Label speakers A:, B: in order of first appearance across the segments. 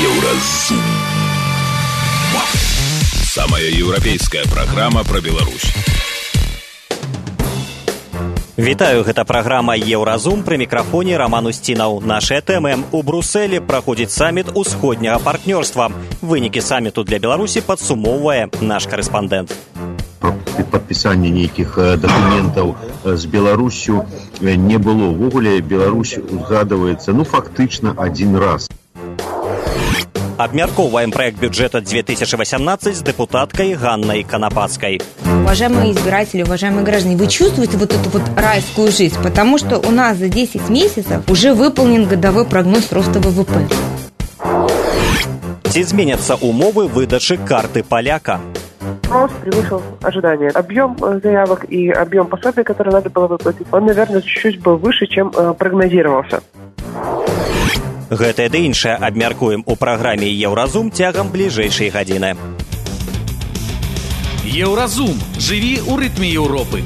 A: Еўразум. Самая еўрапейская праграма пра Беларусь.
B: Вітаю, гэта праграма «Еўразум», пры мікрафоне Роман Устінаў. Нашыя тэмы. У Брусэлі праходзіць саміт усходняга партнёрства. Вынікі саміту для Беларусі падсумоўвае наш карэспандэнт.
C: Падпісання нейкіх дакументаў з Беларусю не было. Увогуле Беларусь узгадываецца, фактычна один раз.
B: Обмяркоўваем проект бюджета 2018 с депутаткой Ганной Конопадской.
D: Уважаемые избиратели, уважаемые граждане, вы чувствуете вот эту вот райскую жизнь? Потому что у нас за 10 месяцев уже выполнен годовой прогноз роста ВВП.
B: Ці зменятся умовы выдачи карты поляка?
E: Рост превысил ожидания. Объем заявок и объем пособий, которые надо было выплатить, он, наверное, чуть-чуть был выше, чем прогнозировался.
B: Гэтае ды іншае абмяркуем у праграме «Еўразум» цягам бліжэйшай гадзіны.
F: Еўразум. Жыві ў рытме Еўропы.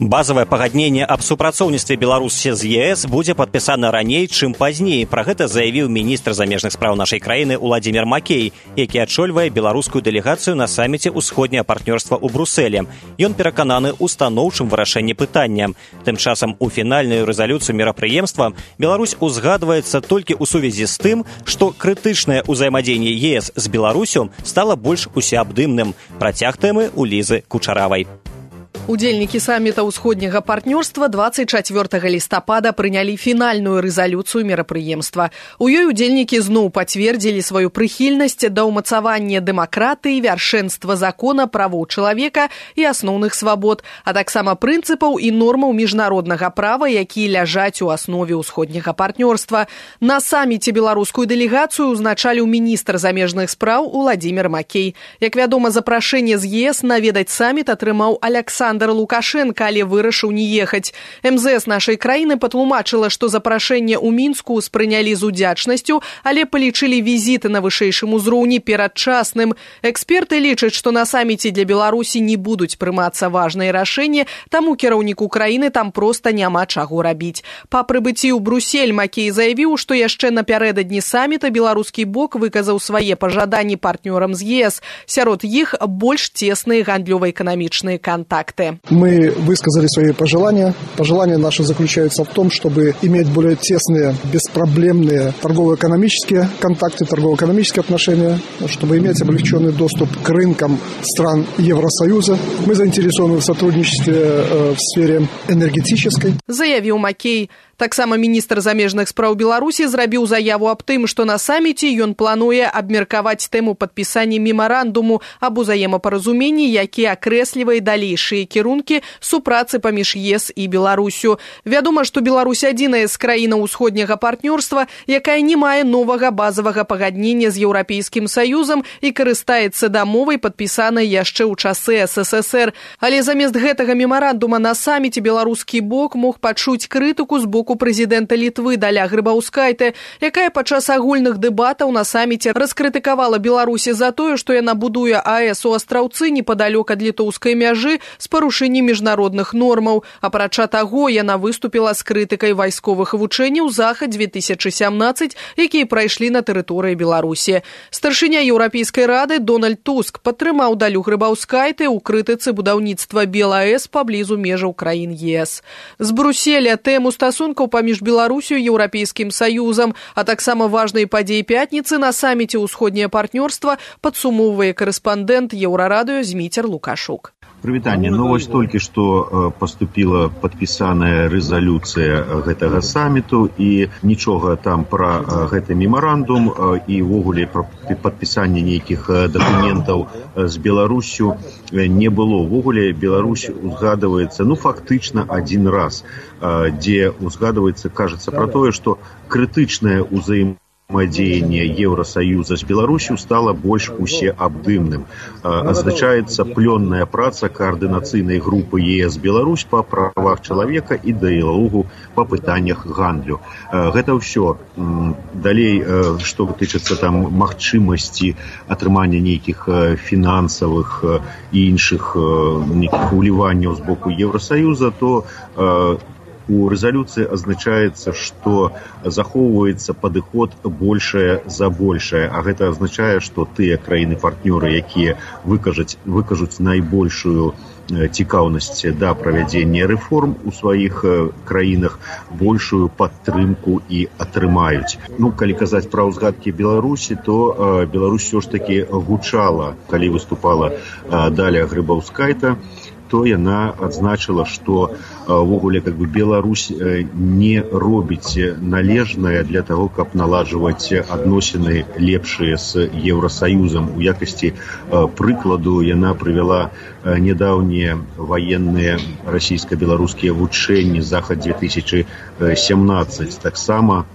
B: Базавае пагадненне аб супрацоўніцтве Беларусі з ЕС будзе падпісана раней, чым пазней. Пра гэта заявіў міністр замежных спраў нашай краіны Уладзімір Макей, які адчольвае беларускую дэлегацыю на саміце ўсходняга партнёрства ў Брусэлі. Ён перакананы ў станоўчым вырашэнні пытання. Тым часам у фінальную рэзалюцыю мерапрыемства Беларусь узгадваецца толькі ў сувязі з тым, што крытычнае ўзаемадзеянне ЕС з Беларусю стала больш усеабдымным. Працяг тэмы у Лізы Кучаравай.
G: Удзельнікі самміта ўсходняга партнёрства 24 лістапада прынялі фінальную рэзалюцыю мерапрыемства. У ёй удзельнікі зноў пацвердзілі сваю прыхільнасць да ўмацавання дэмакратыі, вяршэнства закона, правоў чалавека і асноўных свабод, а таксама прынцыпаў і нормаў міжнароднага права, якія ляжаць у аснове ўсходняга партнёрства. На самміце беларускую дэлегацыю узначаліў міністр замежных спраў Уладзімір Макей. Як вядома, запрашэнне з ЕС наведаць самміт атрымаў Александр Лукашенко, але вырашыў не ехаць. МЗС нашай краіны патлумачыла, што запрашэнне ў Мінску спрынялі з удзячнасцю, але палічылі візіты на вышэйшым узроўні перадчасным. Эксперты лічаць, што на саміце для Беларусі не будуць прымацца важныя рашэнні, таму кіраўніку краіны там проста няма чаго рабіць. Па прыбыцці ў Брусель Макей заявіў, што яшчэ напярэдадні саміта беларускі бок выказаў свае пажаданні партнёрам з ЕС. Сярод іх больш цесныя гандлёва-эканамічныя контакты.
H: Мы высказали свои пожелания. Пожелания наши заключаются в том, чтобы иметь более тесные, беспроблемные торгово-экономические контакты, торгово-экономические отношения, чтобы иметь облегченный доступ к рынкам стран Евросоюза. Мы заинтересованы в сотрудничестве в сфере энергетической.
G: Заявил Макей. Таксама міністр замежных спраў Беларусі зрабіў заяву аб тым, што на саміце ён плануе абмеркаваць тэму падпісання мемарандуму аб узаемапаразуменні, які акрэслівае далейшыя кірункі супрацы паміж ЕС і Беларусю. Вядома, што Беларусь адзіная з краінаў усходняга партнёрства, якая не мае новага базавага пагаднення з Еўрапейскім Саюзам і карыстаецца дамовай, падпісанай яшчэ ў часы СССР. Але замест гэтага мемарандума на саміце беларускі бок мог пачуць крытыку з боку прэзідэнта Літвы Даля Грыбаўскайте, якая падчас агульных дэбатаў на саміце раскрытыкавала Беларусі за тое, што яна будуе АЭС у Астраўцы непадалёк ад літоўскай мяжы з парушэннем міжнародных нормаў. Апрача таго, яна выступіла з крытыкай вайсковых вучэнняў Захад-2017, якія прайшлі на тэрыторыі Беларусі. Старшыня Еўрапейскай рады Дональд Туск падтрымаў Далю Грыбаўскайте ў крытыцы будаўніцтва БелАЭС паблізу межаў краін ЕС. З Бруселя тэму стасункаў паміж Беларусю і Еўрапейскім Саюзам, а таксама важнай падзеі пятніцы на саміце ўсходняе партнёрства падсумоўвае карэспандэнт Еўрарадыё Зміцер Лукашук.
C: Прывітанне. Вось толькі што паступіла падпісаная рэзалюцыя гэтага саміту і нічога там пра гэты мемарандум і ўвогуле пра падпісанне нейкіх дакументаў з Беларусю не было. Ўвогуле Беларусь узгадваецца фактычна один раз, дзе узгадваецца, кажется, пра тое, што крытычнае ўзаемадзеянне Евросоюза с Беларусью стало больш усеабдымным. Азначаецца плённая праца координацыйнай группы ЕС-Беларусь по правах человека и дыялогу по пытаннях гандлю. Гэта ўсё. Далей, што тычыцца там магчымасці атрымання нейкіх фінансавых і іншых нейкіх уліванняў з боку Евросоюза, то У рэзалюцыі азначаецца, што захоўваецца падыход большае за большае, а гэта азначае, што тыя краіны-партнёры, якія выкажуць найбольшую цікаўнасць да правядзення рэформ у сваіх краінах, большую падтрымку і атрымаюць. Калі казаць пра ўзгадкі Беларусі, то Беларусь ўсё ж такі гучала, калі выступала Даля Грыбаўскайта, то яна адзначыла, што ввогуле Беларусь не робіць належнае для таго, каб наладжваць адносіны лепшыя з Еўрасаюзам. У якасці прыкладу яна прывяла нядаўнія ваенныя расійска-беларускія вучэнні Захад-2017. Таксама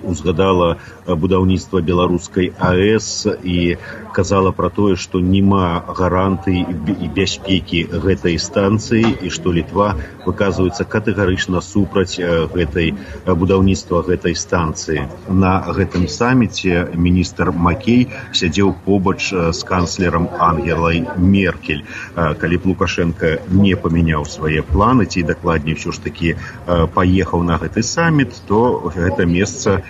C: узгадала будаўніцтва беларускай АЭС і казала пра тое, што няма гарантый і бяспекі гэтай станцыі і што Літва выказваецца катэгарычна супраць будаўніцтва гэтай станцыі. На гэтым саміце міністр Макей сядзеў побач з канцлерам Ангелай Меркель. Калі б Лукашенко не памяняў свае планы, ці дакладней ўсё ж такі паехаў на гэты саміт, то гэта месца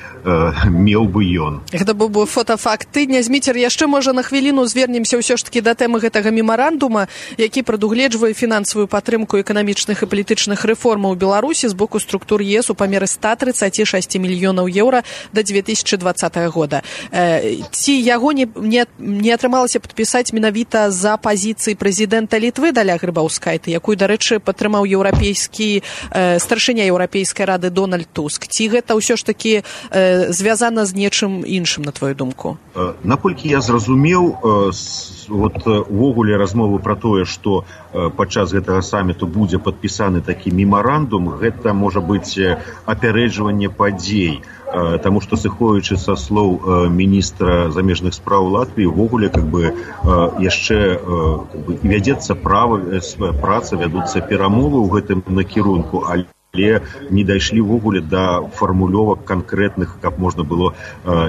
C: меў бы ён.
G: Гэта быў бы фотафакт тыдня. Зміцер, яшчэ можа на хвіліну звернемся ўсё ж такі да тэмы гэтага мемарандума, які прадугледжвае фінансавую падтрымку эканамічных і палітычных рэформаў у Беларусі з боку структур ЕС у памеры 136 мільёнаў еўра да 2020 года. Ці яго не атрымалася падпісаць менавіта за пазіцыі прэзідэнта Літвы Даля Грыбаўскайты, якую, дарэчы, падтрымаў старшыня Еўрапейскай рады Дональд Туск. Ці гэта ўсё ж такі звязана з нечым іншым, на твою думку?
C: Наколькі я зразумеў, увогуле размовы пра тое, што падчас гэтага саміту будзе падпісаны такі мемарандум, гэта можа быць апярэджванне падзей. Таму што, сыходзячы са слоў міністра замежных спраў Латвіі, увогуле яшчэ вядзецца праца, вядуцца перамовы ў гэтым накірунку, але не дайшлі ввогуле да фармулёвак канкрэтных, каб можна было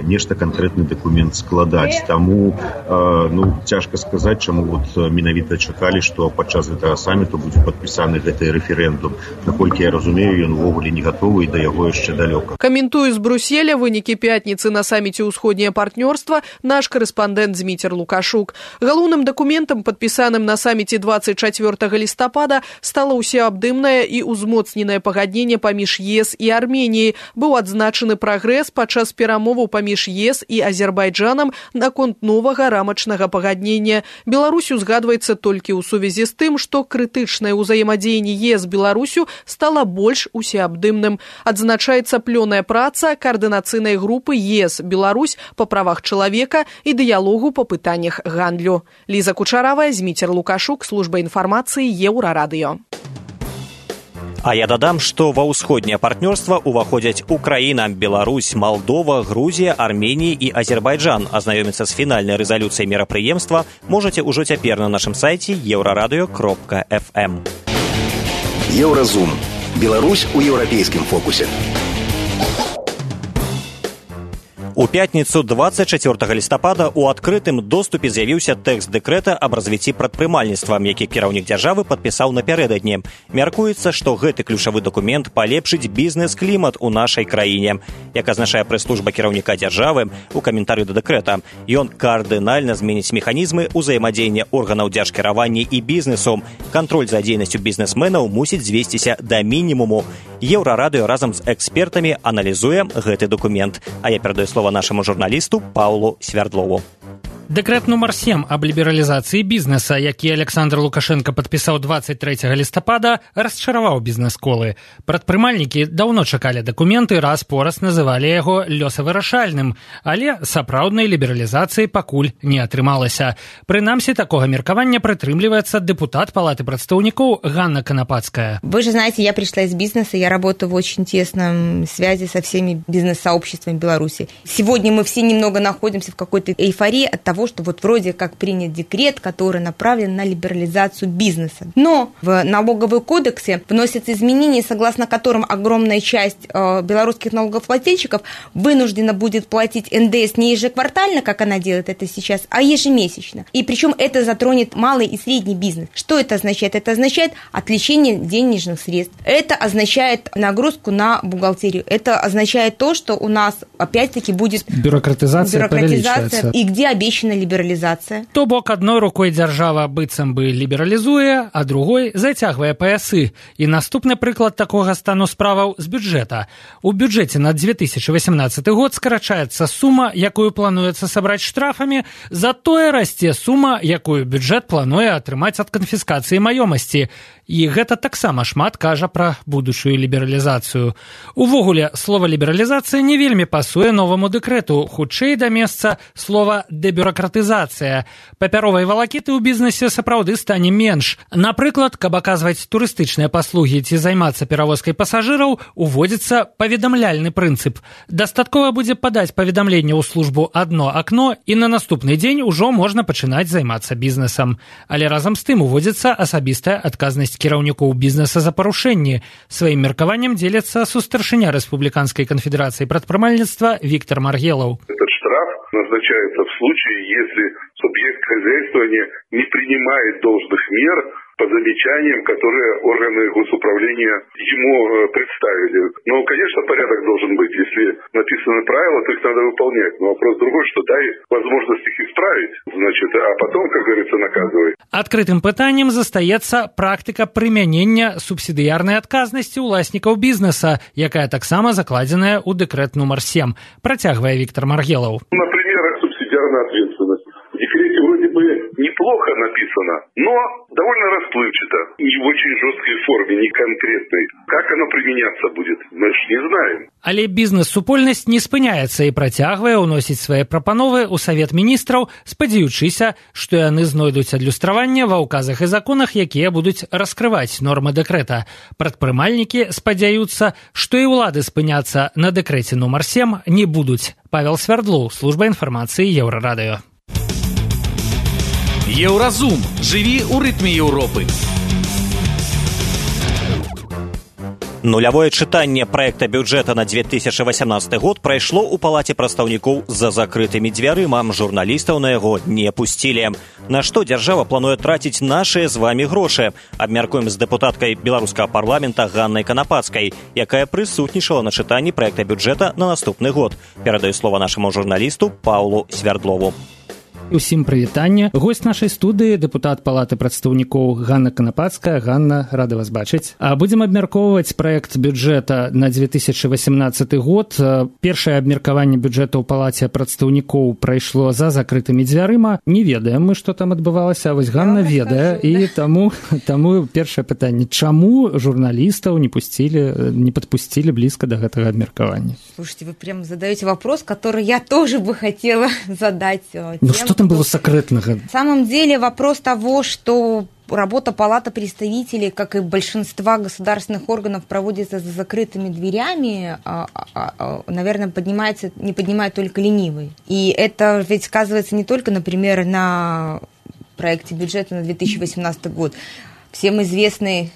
C: нешта канкрэтны дакумент складаць. Таму цяжка сказаць, чаму менавіта чакалі, што падчас гэтага саміту будзе падпісаны гэты рэферэндум. Наколькі я разумею, ён ввогуле не гатовы і да яго яшчэ далёка.
G: Каментуе з Брюсселя вынікі пятніцы на саміце ўсходняе партнёрства наш карэспандэнт Зміцер Лукашук. Галоўным дакументам, падпісаным на саміце 24 лістапада, стала ўсеабдымнае і ўзмоцненае пагадненне паміж ЕС і Арменіяй. Быў адзначаны прагрэс падчас перамоваў паміж ЕС і Азербайджанам наконт новага рамачнага пагаднення. Беларусь узгадваецца толькі ў сувязі з тым, што крытычнае ўзаемадзеянне ЕС з Беларусю стала больш усеабдымным. Адзначаецца плёная праца каардынацыйнай групы ЕС-Беларусь па правах чалавека і дыялогу па пытаннях гандлю. Ліза Кучаравая, Зміцер Лукашук, служба інфармацыі Еўрарадыё.
B: А я дадам, што ва ўсходняе партнёрства ўваходзяць Украіна, Беларусь, Малдова, Грузія, Арменія і Азербайджан. Азнаёміцца з фінальнай рэзалюцыяй мерапрыемства можаце ўжо цяпер на нашым сайце euraradio.fm.
I: Еўразум. Беларусь у еўрапейскім фокусе.
B: У пятніцу 24 лістапада ў адкрытым доступе з'явіўся тэкст дэкрэта аб развіцці прадпрымальніцтва, які кіраўнік дзяржавы падпісаў напярэдадні. Мяркуецца, што гэты ключавы дакумент палепшыць бізнес-клімат у нашай краіне. Як азначае прэс-служба кіраўніка дзяржавы у каментарыю да дэкрэта, ён кардынальна зменіць механізмы ўзаемадзеяння органаў дзяржкіравання і бізнесу. Кантроль за дзейнасцю бізнесменаў мусіць звесціся да мінімуму. Еўрарадыё разам з экспертамі аналізуе гэты дакумент. А я перадаю слова нашему журналісту Паўлу Свярдлову.
J: Дэкрэт нумар 7 аб лібералізацыі бізнеса, які Александр Лукашенко падпісаў 23 лістапада, расчараваў бізнес-колы. Прадпрымальнікі даўно чакалі дакументы, раз-пораз называлі яго лёсавырашальным, але сапраўднай лібералізацыі пакуль не атрымалася. Прынамсі, такога меркавання прытрымліваецца депутат Палаты прадстаўнікоў Ганна Конопадская.
D: Вы же знаете, я пришла из бизнеса, я работаю в очень тесном связи со всеми бизнес-сообществами Беларуси. Сегодня мы все немного находимся в какой-то эйфории от того, того, что вот вроде как принят декрет, который направлен на либерализацию бизнеса. Но в налоговый кодексе вносятся изменения, согласно которым огромная часть белорусских налогоплательщиков вынуждена будет платить НДС не ежеквартально, как она делает это сейчас, а ежемесячно. И причем это затронет малый и средний бизнес. Что это означает? Это означает отвлечение денежных средств. Это означает нагрузку на бухгалтерию. Это означает то, что у нас опять-таки будет
J: бюрократизация
D: и где обещана либерализация.
J: То бок одной рукой дзяржава быццам бы лібералізуе, а другой зацягвае паясы. І наступны прыклад такога стану справаў з бюджэта. У бюджэце на 2018 год скарачаецца сума, якую плануецца сабраць штрафамі, затое расце сума, якую бюджэт плануе атрымаць ад канфіскацыі маёмасці. І гэта таксама шмат кажа пра будучую лібералізацыю. Увогуле, слова лібералізацыя не вельмі пасуе новаму дэкрэту, хутчэй да месца слова дэбюракратызацыя. Папяровай валакіты ў бізнесе сапраўды стане менш. Напрыклад, каб аказваць турыстычныя паслугі ці займацца перавозкай пасажыраў, уводзіцца паведамляльны прынцып. Дастаткова будзе падаць паведамленне ў службу «Адно акно» і на наступны дзень ужо можна пачынаць займацца бізнесам. Але разам з тым уводзіцца асабістая адказнасць кіраўнікоў бізнеса за парушэнні. Сваім меркаваннем дзеліцца сустаршыня Рэспубліканскай канфедэрацыі прадпрымальніцтва Виктор Маргелов.
K: Этот штраф назначается в случае, если субъект хозяйствования не принимает должных мер по замечаниям, которые органы госуправления ему представили. Но, конечно, порядок должен быть. Если написаны правила, то их надо выполнять. Но вопрос другой, что дай возможность их исправить, значит, а потом, как говорится, наказывай.
J: Адкрытым пытаннем застаецца практыка прымянення субсідыярнай адказнасці ўласнікаў бізнеса, якая таксама закладзеная ў дэкрэт нумар 7, працягвае Виктор Маргелов.
K: Например, субсидиарная ответственность. В декрете вроде бы неплохо написано, но довольно расплывчато, не в очень жесткой форме, не конкретной. Как оно применяться будет, мы ж не знаем.
J: Але бізнес-супольнасць не спыняецца і працягвае ўносіць свае прапановы ў Савет міністраў, спадзяючыся, што яны знойдуць адлюстраванне ва ўказах і законах, якія будуць раскрываць нормы дэкрэта. Прадпрымальнікі спадзяюцца, што і ўлады спыняцца на дэкрэце нумар 7 не будуць. Павел Свердлоў, служба інфармацыі Еўрарадыё.
F: Еўразум. Жыві ў рытме Еўропы.
B: Нулявое чытанне праекта бюджэта на 2018 год прайшло ў палаце прадстаўнікоў за закрытымі дзвярыма. Журналістаў на яго не пусцілі. На што дзяржава плануе траціць нашыя з вамі грошы? Абмяркуем з дэпутаткай беларускага парламента Ганнай Канапацкай, якая прысутнічала на чытанні праекта бюджэта на наступны год. Перадаю слова нашаму журналісту Паўлу Свердлову.
J: Усім прывітанне. Госць нашай студыі, дэпутат палаты прадстаўнікоў Ганна Канапацкая. Ганна, рада вас бачыць. Будзем абмяркоўваць праект бюджэта на 2018 год. Першае абмеркаванне бюджэта ў палаце прадстаўнікоў прайшло за закрытымі дзвярыма. Не ведаем мы, што там адбывалася, а вось Ганна ведае. І таму першае пытанне. Чаму журналістаў не падпусцілі блізка да гэтага абмеркавання?
D: Слушайте, вы прям задаете вопрос, который я тоже бы хотела задать.
J: Ну что там было секретного?
D: На самом деле вопрос того, что работа Палаты представителей, как и большинства государственных органов, проводится за закрытыми дверями, наверное, не поднимает только ленивый. И это ведь сказывается не только, например, на проекте бюджета на 2018 год. Всем известный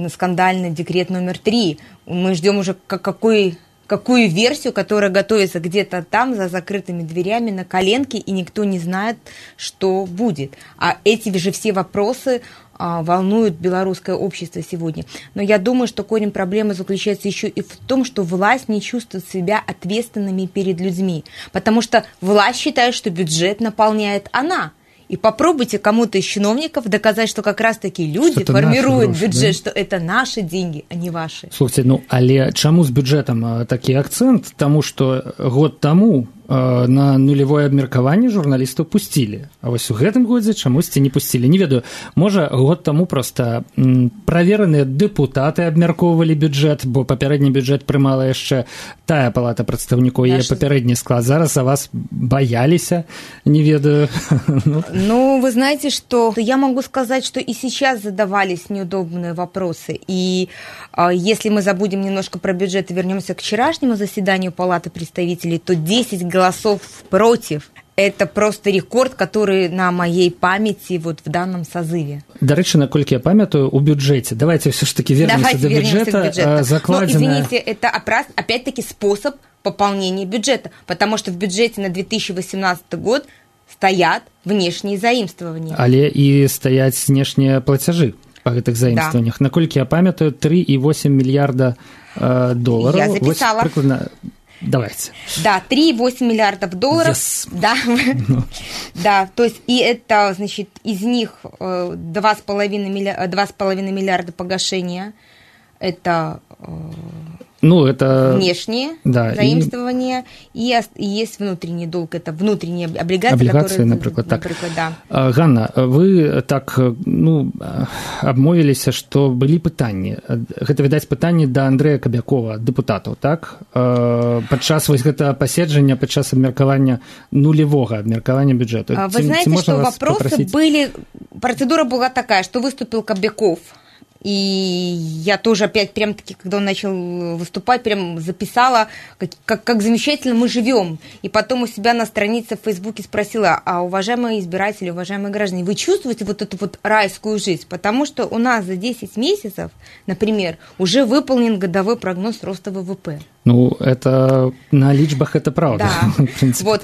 D: скандальный декрет номер 3. Мы ждем уже какую версию, которая готовится где-то там за закрытыми дверями на коленке, и никто не знает, что будет. А эти же все вопросы волнуют белорусское общество сегодня. Но я думаю, что корень проблемы заключается еще и в том, что власть не чувствует себя ответственными перед людьми, потому что власть считает, что бюджет наполняет она. И попробуйте кому-то из чиновников доказать, что как раз-таки люди формируют бюджет, да? Что это наши деньги, а не ваши.
J: Слушайте, але чаму з бюджэтам такі акцэнт? Таму што год таму на нулевое абмеркаванне журналістаў пусцілі. А вось у гэтым годзе чамусьці не пусцілі. Не ведаю, можа, год таму проста правераныя дэпутаты абмяркоўвалі бюджэт, бо папярэдні бюджэт прымала яшчэ тая палата прадстаўнікоў, яе папярэдні склад. Зараз за вас бояліся, не ведаю.
D: Ну, вы знаете, что я могу сказать, что и сейчас задавались неудобные вопросы. И если мы забудем немножко про бюджет и вернемся к вчерашнему заседанию Палаты представителей, то 10 голосов против это просто рекорд, который на моей памяти вот в данном созыве.
J: Дарэчы, наколькі я памятаю, у бюджете. Давайте все ж таки вернемся до бюджета.
D: Закладено... Но, извините, это опять-таки способ пополнения бюджета, потому что в бюджете на 2018 год стоят внешние заимствования.
J: Але и стоят внешние платежи по гэтых заимствованиях. Да. Наколькі я памятаю, 3,8 миллиарда долларов.
D: Я записала.
J: Вот, прикладно... Давайте.
D: Да, 3,8 миллиардов долларов.
J: Yes.
D: Да. Да, то есть, и это, значит, из них 2,5 миллиарда погашения. Это...
J: это
D: внешние заимствования, и есть внутренний долг, это внутренние облигации, которые...
J: например, так.
D: Да.
J: Ганна, вы так, обмовіліся, што былі пытанні. Гэта, відаць, пытанні да Андрэя Кабякова, дэпутатаў, так? Падчас вось гэтага паседжання, падчас абмеркавання нулевого абмеркавання бюджэту.
D: Вы знаете, что вопросы были... Процедура была такая, что выступил Кобяков, и я тоже опять прям-таки, когда он начал выступать, прям записала, как замечательно мы живем. И потом у себя на странице в Фейсбуке спросила: а уважаемые избиратели, уважаемые граждане, вы чувствуете вот эту вот райскую жизнь? Потому что у нас за 10 месяцев, например, уже выполнен годовой прогноз роста ВВП.
J: Это на личбах это правда.
D: Да.
J: В принципе,
D: вот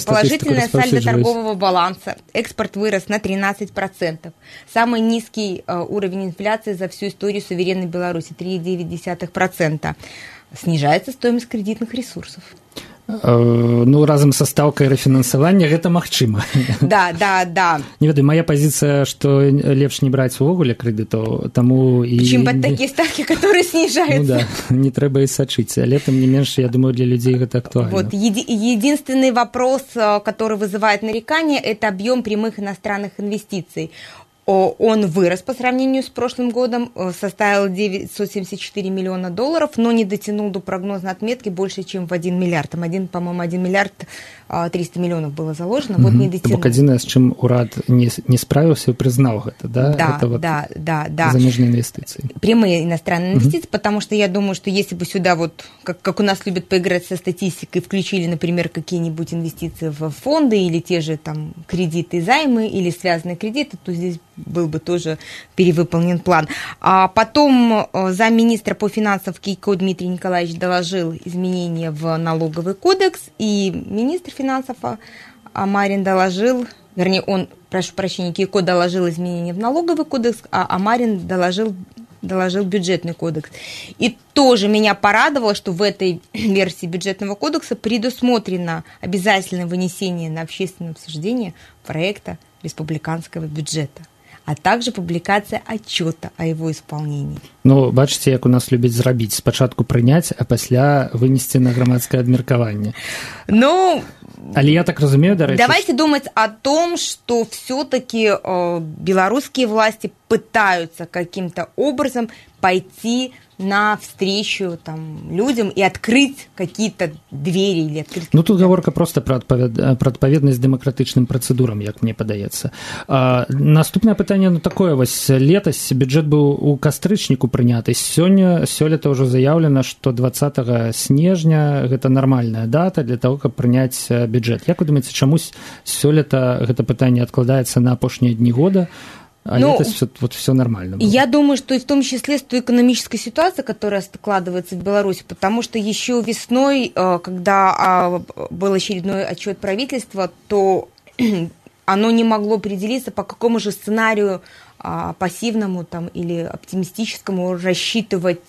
D: положительное сальдо торгового баланса. Экспорт вырос на 13%. Самый низкий уровень инфляции за всю историю суверенной Беларуси – 3,9%. Снижается стоимость кредитных ресурсов.
J: Разам са стаўкай рэфінансавання гэта магчыма.
D: Да.
J: Не ведаю, моя позиция, что лепш не браць увогуле крэдытаў, таму і...
D: Чым под такие ставки, которые снижаются.
J: Не трэба і сачыць, але тым не менш, я думаю, для людей гэта актуальна.
D: Вот, единственный вопрос, который вызывает нарекания, это объем прямых иностранных инвестиций. Он вырос по сравнению с прошлым годом, составил 974 миллиона долларов, но не дотянул до прогнозной отметки больше, чем в 1 миллиард. Там, по-моему, 1 миллиард 300 миллионов было заложено, вот не дотянул.
J: Бок адзінае, з чым урад не справился и признал это, да?
D: Да.
J: Замежные инвестиции.
D: Прямые иностранные инвестиции, потому что я думаю, что если бы сюда вот, как у нас любят поиграть со статистикой, включили, например, какие-нибудь инвестиции в фонды или те же там кредиты, займы или связанные кредиты, то здесь был бы тоже перевыполнен план. А потом замминистра по финансам Кейко Дмитрий Николаевич доложил изменения в налоговый кодекс, и министр финансов Амарин доложил, вернее, Кейко доложил изменения в налоговый кодекс, а Амарин доложил бюджетный кодекс. И тоже меня порадовало, что в этой версии бюджетного кодекса предусмотрено обязательное вынесение на общественное обсуждение проекта республиканского бюджета, а также публикация отчета о его исполнении.
J: Бачыце, як у нас любяць зрабіць, спачатку прыняць, а пасля вынесці на грамадскае абмеркаванне. Але я так разумею, дарэчы...
D: Давайте думать о том, что все-таки белорусские власти пытаются каким-то образом пойти навстречу людям и открыть какие-то двери или открыть...
J: Тут гаворка просто про адпаведнасць дэмакратычным працэдурам, як мне падаецца. Наступнае пытанне такое, вось летась бюджэт быў у кастрычніку прыняты, сёлета ўжо заяўлена, што 20 снежня гэта нармальная дата для того, каб прыняць бюджэт. Як вы думаеце, чамусь сёлета гэта пытанне адкладаецца на апошнія дні года, а летось все нормально было?
D: Я думаю, что и в том числе с той экономической ситуацией, которая складывается в Беларуси, потому что еще весной, когда был очередной отчет правительства, то оно не могло определиться, по какому же сценарию пассивному или оптимистическому рассчитывать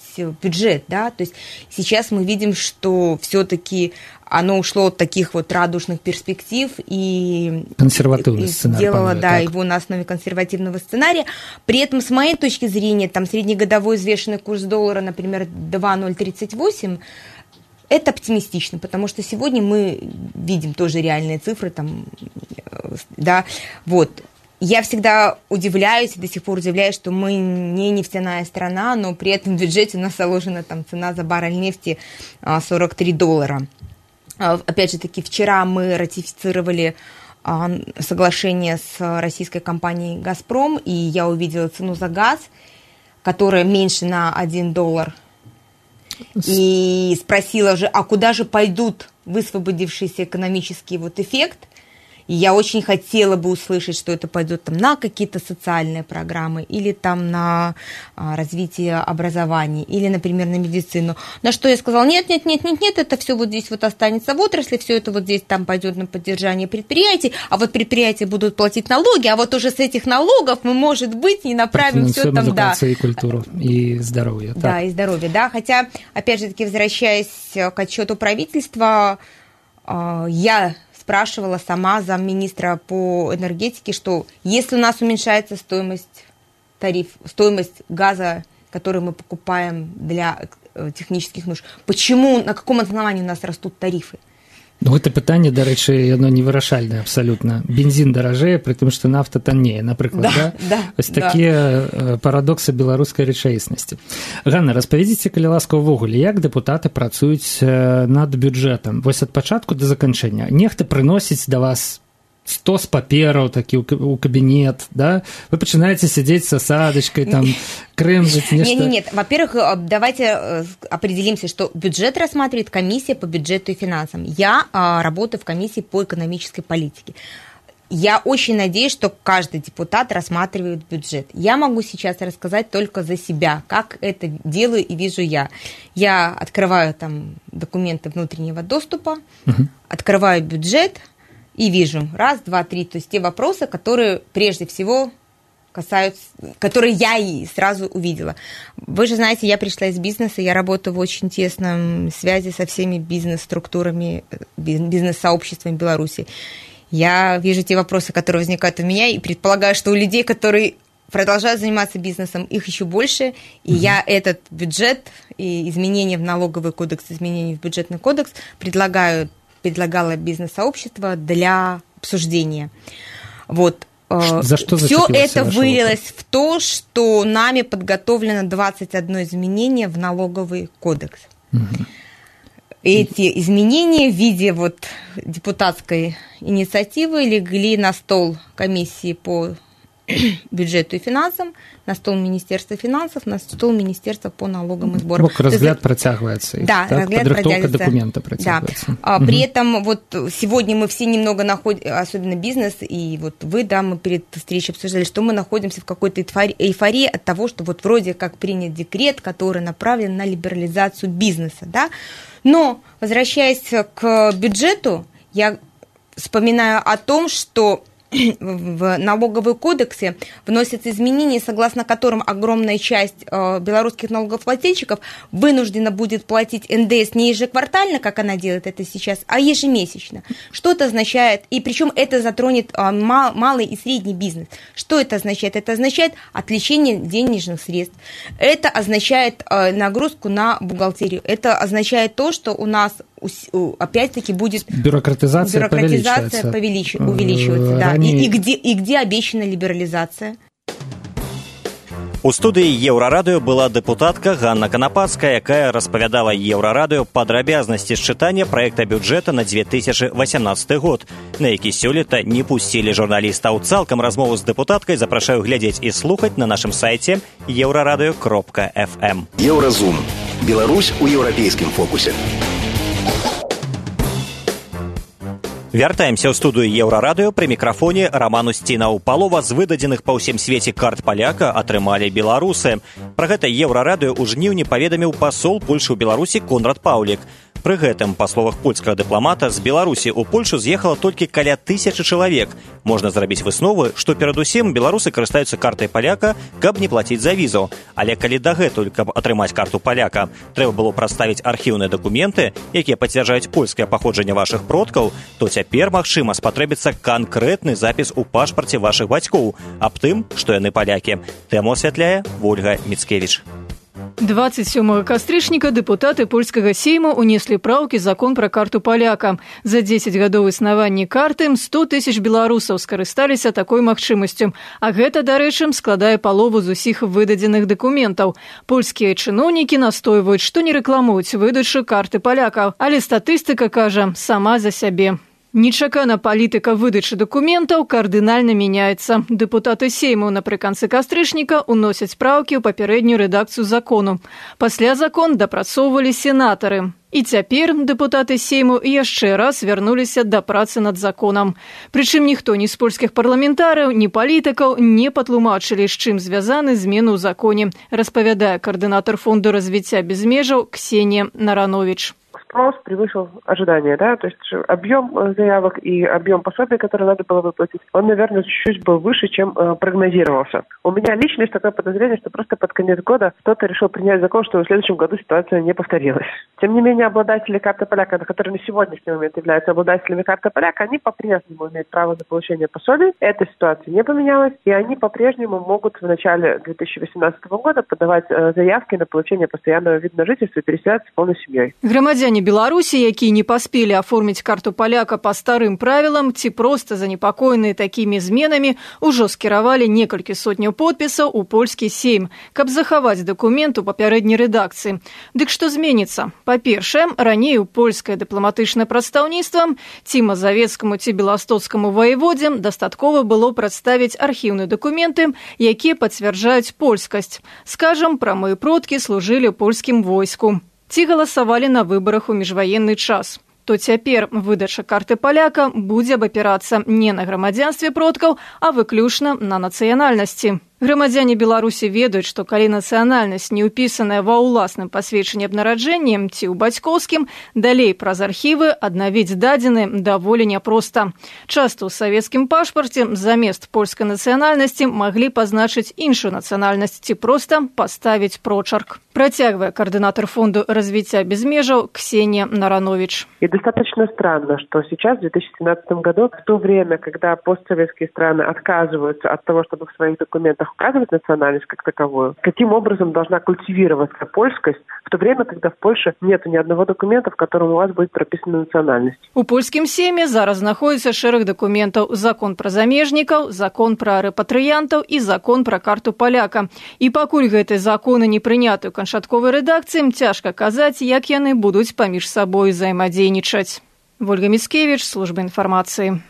D: бюджет, да, то есть сейчас мы видим, что все-таки оно ушло от таких радужных перспектив и
J: консервативный сценарий,
D: сделало, его на основе консервативного сценария. При этом, с моей точки зрения, среднегодовой взвешенный курс доллара, например, 2,038, это оптимистично, потому что сегодня мы видим тоже реальные цифры, Я всегда удивляюсь, и до сих пор удивляюсь, что мы не нефтяная страна, но при этом в бюджете у нас заложена цена за баррель нефти $43. Опять же таки, вчера мы ратифицировали соглашение с российской компанией «Газпром», и я увидела цену за газ, которая меньше на $1. И спросила же, а куда же пойдут высвободившийся экономический эффект? И я очень хотела бы услышать, что это пойдет там на какие-то социальные программы или там на развитие образования, или, например, на медицину. На что я сказала, нет, это все вот здесь вот останется в отрасли, все это вот здесь там пойдет на поддержание предприятий, а вот предприятия будут платить налоги, а вот уже с этих налогов мы, может быть, не направим все там, да.
J: И культуру, и здоровье.
D: Да, так. И здоровье, да. Хотя, опять же таки, возвращаясь к отчету правительства, я спрашивала сама замминистра по энергетике, что если у нас уменьшается стоимость газа, который мы покупаем для технических нужд, почему, на каком основании у нас растут тарифы?
J: Ну, гэта пытанне, дарэчы, яно невырашальнае абсалютна. Бензін даражэе, пры тым, што нафта таннее, напрыклад, да? Вось такія парадоксы беларускай рэчаіснасці. Ганна, распавядзіце, калі ласка, увогуле, як дэпутаты працуюць над бюджэтам? Вось ад пачатку да заканчэння. Нехта прыносіць да вас 100 папераў такі ў кабінет, да? Вы пачынаеце сядзець с асадачкай, там, крэмжыць нешта.
D: Нет. Во-первых, давайте определимся, что бюджет рассматривает комиссия по бюджету и финансам. Я работаю в комиссии по экономической политике. Я очень надеюсь, что каждый депутат рассматривает бюджет. Я могу сейчас рассказать только за себя, как это делаю и вижу я. Я открываю там документы внутреннего доступа, открываю бюджет, и вижу, 1, 2, 3, то есть те вопросы, которые прежде всего касаются, которые я и сразу увидела. Вы же знаете, я пришла из бизнеса, я работаю в очень тесном связи со всеми бизнес-структурами, бизнес-сообществами Беларуси. Я вижу те вопросы, которые возникают у меня, и предполагаю, что у людей, которые продолжают заниматься бизнесом, их еще больше, и я этот бюджет и изменения в налоговый кодекс, изменения в бюджетный кодекс предлагала бизнес-сообщество для обсуждения. Вот.
J: За что
D: все это вылилось в то, что нами подготовлено 21 изменение в налоговый кодекс. Эти изменения в виде вот депутатской инициативы легли на стол комиссии по бюджету и финансам, на стол Министерства финансов, на стол Министерства по налогам и сборам.
J: Разгляд протягивается.
D: Да,
J: так,
D: разгляд
J: подготовка документа протягивается.
D: Да. При этом вот сегодня мы все немного находимся, особенно бизнес, и вот вы, да, мы перед встречей обсуждали, что мы находимся в какой-то эйфории от того, что вот вроде как принят декрет, который направлен на либерализацию бизнеса, да. Но, возвращаясь к бюджету, я вспоминаю о том, что в налоговые кодексы вносятся изменения, согласно которым огромная часть белорусских налогоплательщиков вынуждена будет платить НДС не ежеквартально, как она делает это сейчас, а ежемесячно. Что это означает? И причем это затронет малый и средний бизнес. Что это означает? Это означает отвлечение денежных средств. Это означает нагрузку на бухгалтерию. Это означает то, что у нас опять-таки будет
J: бюрократизация
D: увеличиваться. Да. И где обещана либерализация?
B: У студыі Еўрарадыё была дэпутатка Ганна Канапацкая, якая распавядала Еўрарадыё падрабязнасці счытання праекта бюджэта на 2018 год, на які сёлета не пусцілі журналістаў. Цалкам размову з дэпутаткай запрашаю глядзець і слухаць на нашым сайце euradio.fm.
I: Еўразум. Беларусь у еўрапейскім фокусе.
B: Вяртаемся ў студыю Еўрарадыё, пры мікрафоне Раман Усцінаў. Палова з выдадзеных па ўсім свеце карт паляка атрымалі беларусы. Пра гэта Еўрарадыё ў жніўні паведаміў пасол Польшы ў Беларусі Конрад Паўлік. Пры гэтым, па словах польскага дыпламата, з Беларусі ў Польшу з'ехала толькі каля 1000 чалавек. Можна зрабіць высновы, што перадусім беларусы карыстаюцца картай паляка, каб не плаціць за візу. Але калі дагэтуль, каб атрымаць карту паляка, трэба было прадставіць архіўныя дакументы, якія пацвярджаюць польскае паходжанне вашых продкаў, то цяпер, магчыма, спатрэбіцца канкрэтны запіс у пашпарце вашых бацькоў аб тым, што яны палякі. Тэму асвятляе Вольга Міцкевіч.
L: 27 кастрычніка дэпутаты польскага сейму унеслі праўкі закон пра карту паляка. За 10 гадоў існавання карты 100 000 беларусаў скарысталіся такой магчымасцю. А гэта, дарэчы, складае палову з усіх выдадзеных дакументаў. Польскія чыноўнікі настойваюць, што не рэкламуюць выдачу карты палякаў, але статыстыка кажа сама за сябе. Нечакана палітыка выдачы дакументаў кардынальна мяняецца. Дэпутаты сейму напрыканцы кастрычніка уносяць праўкі ў папярэднюю рэдакцыю закону. Пасля закон дапрацоўвалі сенатары. І цяпер дэпутаты Сейму яшчэ раз вярнуліся да працы над законам. Прычым ніхто ні з польскіх парламентарыў, ні палітыкаў не патлумачылі, з чым звязаны змены ў законе, распавядае координатор фонду развития без межаў Ксения Наранович.
E: Спрос превысил ожидания, да, то есть объем заявок и объем пособий, которые надо было выплатить, он, наверное, чуть-чуть был выше, чем прогнозировался. У меня лично есть такое подозрение, что просто под конец года кто-то решил принять закон, что в следующем году ситуация не повторилась. Тем не менее, обладатели карты поляка, которые на сегодняшний момент являются обладателями карты поляка, они по-прежнему имеют право на получение пособий. Эта ситуация не поменялась, и они по-прежнему могут в начале 2018 года подавать заявки на получение постоянного вида на жительство и переселяться с полной семьей.
L: Громадяне Беларусі, якія не паспелі аформіць карту паляка па старым правілам ці проста занепакоеныя такімі зменамі, ужо скіравалі некалькі сотняў подпісаў у польскі сейм, каб захаваць дакумент у папярэдняй рэдакцыі. Дык што зменіцца? Па-першае, раней у польскае дыпламатычнае прадстаўніцтва ці мазавецкаму ці беластоцкаму ваеводзе дастаткова было прадставіць архіўныя дакументы, якія пацвярджаюць польскасць. Скажам, прамыя продкі служылі ў польскім войску. Ці галасавалі на выбарах у міжваенны час. То цяпер выдача карты паляка будзе абапірацца не на грамадзянстве продкаў, а выключна на нацыянальнасці. Грамадзяне Беларусі ведаюць, што калі нацыянальнасць не ўпісаная ва ўласным пасведчанні аб нараджэнні ці ў бацькоўскім, далей праз архівы аднавіць дадзены даволі няпроста. Часта ў савецкім пашпарце замест польскай нацыянальнасці маглі пазначыць іншую нацыянальнасць ці проста паставіць прочерк. Працягвае координатор фонду развития без межаў Ксения Наранович.
E: И достаточно странно, что сейчас, в 2017 году, в то время, когда постсоветские страны отказываются от того, чтобы в своих документах указывать национальность как таковую, каким образом должна культивироваться польскость, в то время, когда в Польше нет ни одного документа, в котором у вас будет прописана национальность.
L: У польскім сейме зараз знаходзіцца шэраг дакументаў: закон пра замежнікаў, закон пра рэпатрыянтаў і закон пра карту паляка. І пакуль гэтыя законы не прыняты ў канчатковай рэдакцыі, цяжка казаць, як яны будуць паміж сабой взаемадзейнічаць. Вольга Міцкевіч, служба інфармацыі.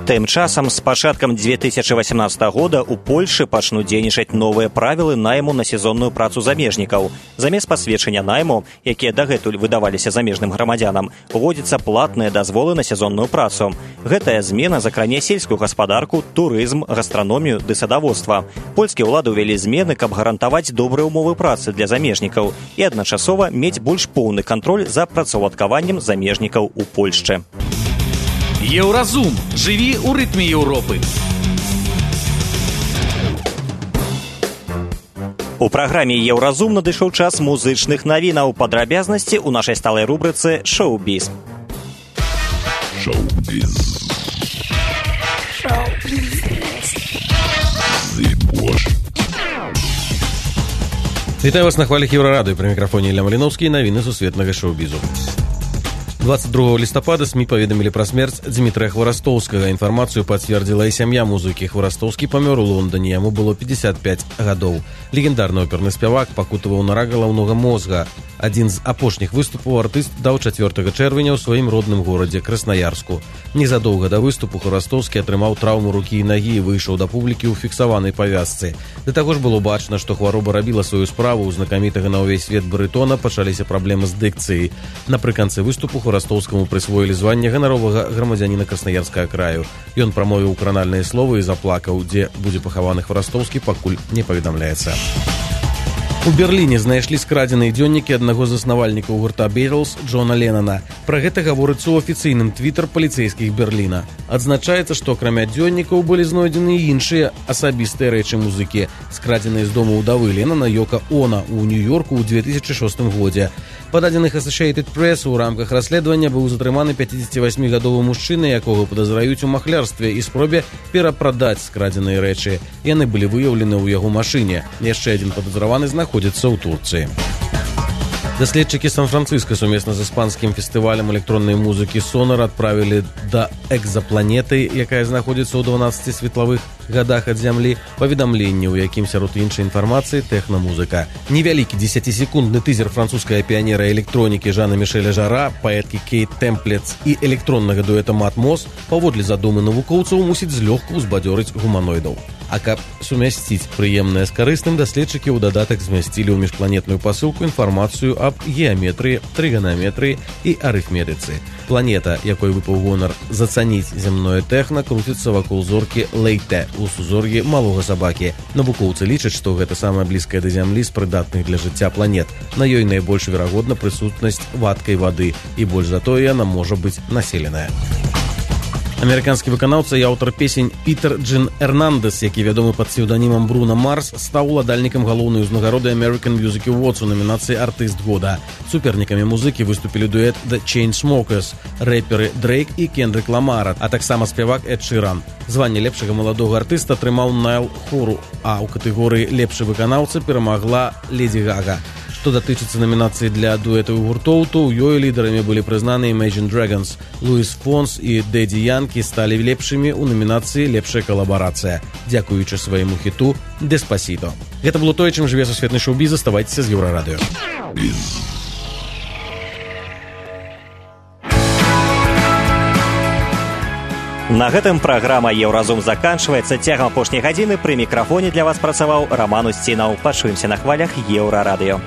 B: Тым часам з пачаткам 2018 года у Польшы пачнуць дзейнічаць новыя правілы найму на сезонную працу замежнікаў. Замест пасведчання найму, якія дагэтуль выдаваліся замежным грамадзянам, уводзяцца платныя дазволы на сезонную працу. Гэтая змена закране сельскую гаспадарку, турызм, гастраномію ды садаводства. Польскія ўлады ўвялі змены, каб гарантаваць добрыя ўмовы працы для замежнікаў і адначасова мець больш поўны кантроль за працаўладкаваннем замежнікаў у Польшчы.
F: Еўразум. Жыві ў рытме Еўропы.
B: У праграме «Еўразум» надышоў час музычных навінаў. Падрабязнасці ў нашай сталай рубрыцы «Шоу-біз».
A: Шоу-біз.
M: Вітаю вас на хвалях Еўрарадыё. Пры мікрафоне Ілля Маліноўскі і навіны сусветнага шоу-бізу. 22 лістапада СМІ паведамілі пра смерць Дзмітрыя Хварастоўскага. Інфармацыю пацвердзіла і сям'я музыкі. Хварастоўскі памёр у Лондоне, яму было 55 гадоў. Легендарны оперны спявак пакутаваў на рак галаўнога мозга. Адзін з апошніх выступаў артыст даў 4 чэрвеня ў сваім родным горадзе Краснаярску. Незадоўга да выступу Хварастоўскі атрымаў траўму рукі і нагі і выйшаў да публікі ў фіксаванай павязцы. Да таго ж было бачна, што хвароба рабіла сваю справу. У знакамітага на ўвесь свет барытона пачаліся праблемы з дыкцыяй. Напрыканцы выступу Хварастоўскаму прысвоілі званне ганаровага грамадзяніна Краснаярскага краю. Ён прамовіў кранальныя словы і заплакаў. Дзе будзе пахаваны Хварастоўскі, пакуль не паведамляецца. У Берліне знайшлі скрадзеныя дзённікі аднаго з заснавальнікаў гурта Beatles Джона Леннона. Пра гэта гаворыцца ў афіцыйным твітар паліцэйскіх Берліна. Адзначаецца, што акрамя дзённікаў былі знойдзены і іншыя асабістыя рэчы музыкі, скрадзеныя з дому ўдавы Леннона Йока Оно ў Нью-Йорку ў 2006 годзе. Па дадзеных Associated Press у рамках расследавання быў затрыманы 58-гадовы мужчына, якога падазраюць у махлярстве і спробе перапрадаць скрадзеныя рэчы. Яны былі выяўлены ў яго машыне. Яшчэ адзін падазраваны знаходзіцца ў Турцыі. Даследчыкі Сан-Францыска сумесна з іспанскім фестывалем электроннай музыкі Сонар адправілі да экзапланеты, якая знаходзіцца ў 12 светлавых гадах ад зямлі, паведамленне, у якім сярод іншай інфармацыі тэхна-музыка. Невялікі 10-секундны тызер французскага піянера электронікі Жана Мішэля Жара, паэткі Кейт Темплец і электроннага дуэта Матмос паводле задумы навукоўцаў мусіць злёгку ўзбадзёрыць гуманоідаў. А каб сумясціць прыемнае з карысным, даследчыкі ў дадатак змясцілі ў міжпланетную пасылку інфармацыю аб геаметрыі, трыганаметрыі і арыфметыцы. Планета, якой выпаў гонар зацаніць зямное тэхна, круціцца вакол зоркі Лейте у сузор'і малога сабакі. Навукоўцы лічаць, што гэта самая блізкая да зямлі з прыдатных для жыцця планет. На ёй найбольш верагодна прысутнасць вадкай вады, і больш за тое яна можа быць населеная. Амерыканскі выканаўца і аўтар песень Пітер Джин Эрнандес, які вядомы пад псеўданімам Бруно Марс, стаў уладальнікам галоўнай узнагароды American Music Awards у намінацыі «Артыст года». Супернікамі музыкі выступілі дуэт The Chainsmokers, рэперы Дрейк і Кендрик Ламар, а таксама спявак Эд Ширан. Званне лепшага маладога артыста атрымаў Найл Хору, а ў катэгорыі «Лепшы выканаўца» перамагла Леді Гага. Што датычыцца намінацыі для дуэтаў гуртоў, то ў ёй лідарамі былі прызнаны Imagine Dragons. Луіс Фонс і Дэдді Янкі сталі лепшымі ў намінацыі «Лепшая калабарацыя», дзякуючы свайму хіту «Деспасіто». Гэта было тое, чым жыве сусветны шоу-біз. Заставайцеся з Еўрарадыё.
B: На гэтым праграма «Еўразум» заканчваецца. Цягам апошняй гадзіны пры мікрафоне для вас працаваў Раман Усцінаў. Пачуемся на хвалях Еўрарадыё.